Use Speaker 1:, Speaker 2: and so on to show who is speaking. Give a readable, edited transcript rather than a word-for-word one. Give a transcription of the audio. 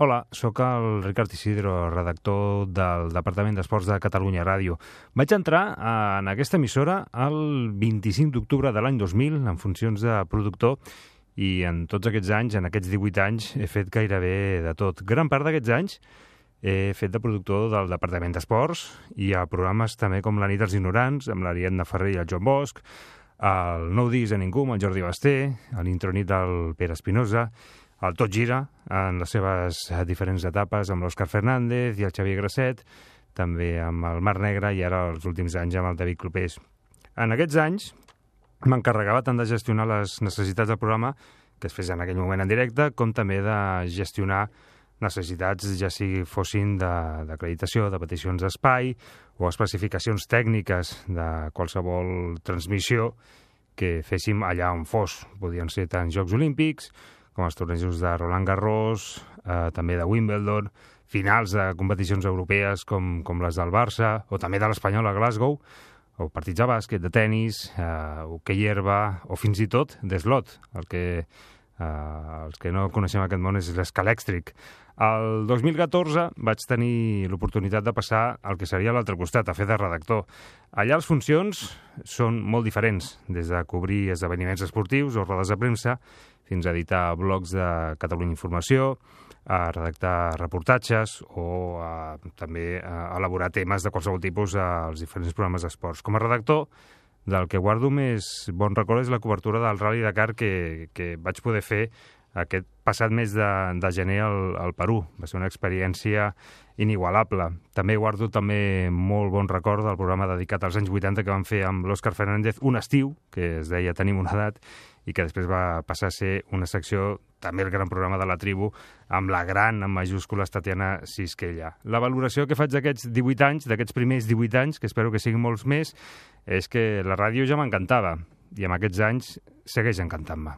Speaker 1: Hola, sóc el Ricard Isidro, redactor del Departament d'Esports de Catalunya Ràdio. Vaig entrar en aquesta emissora el 25 d'octubre de l'any 2000 en funcions de productor i en tots aquests anys, en aquests 18 anys, he fet gairebé de tot. Gran part d'aquests anys he fet de productor del Departament d'Esports i a programes també com La nit dels ignorants, amb l'Ariadna Ferrer i el Joan Bosch, el Nou disc a ningú amb el Jordi Basté, l'intronit del Pere Espinosa, el Tot gira, en les seves diferents etapes, amb l'Òscar Fernández i el Xavier Grasset, també amb el Mar Negre i ara els últims anys amb el David Clopés. En aquests anys m'encarregava tant de gestionar les necessitats del programa, que es fes en aquell moment en directe, com també de gestionar necessitats, ja sigui fossin d'acreditació, de peticions d'espai o especificacions tècniques de qualsevol transmissió que féssim allà on fos. Podien ser tant Jocs Olímpics, com els tornejos de Roland Garros, també de Wimbledon, finals de competicions europees com les del Barça, o també de l'Espanyol a Glasgow, o partits de bàsquet, de tennis, hoquei herba, o fins i tot d'eslot. Els que no coneixem aquest món és l'escalèxtric. El 2014 vaig tenir l'oportunitat de passar al que seria l'altre costat, a fer de redactor. Allà les funcions són molt diferents, des de cobrir esdeveniments esportius o rodes de premsa, fins a editar blogs de Catalunya Informació, a redactar reportatges o també a elaborar temes de qualsevol tipus als diferents programes d'esports. Com a redactor, del que guardo més bon record és la cobertura del Rally Dakar que vaig poder fer aquest passat mes de gener al Perú. Va ser una experiència inigualable. També guardo molt bon record del programa dedicat als anys 80 que van fer amb l'Òscar Fernández, Un estiu, que es deia Tenim una edat, i que després va passar a ser una secció, també el gran programa de la tribu, amb la gran, en majúscules, Tatiana Sisquella. La valoració que faig d'aquests 18 anys, d'aquests primers 18 anys, que espero que siguin molts més, és que la ràdio ja m'encantava, i amb aquests anys segueix encantant-me.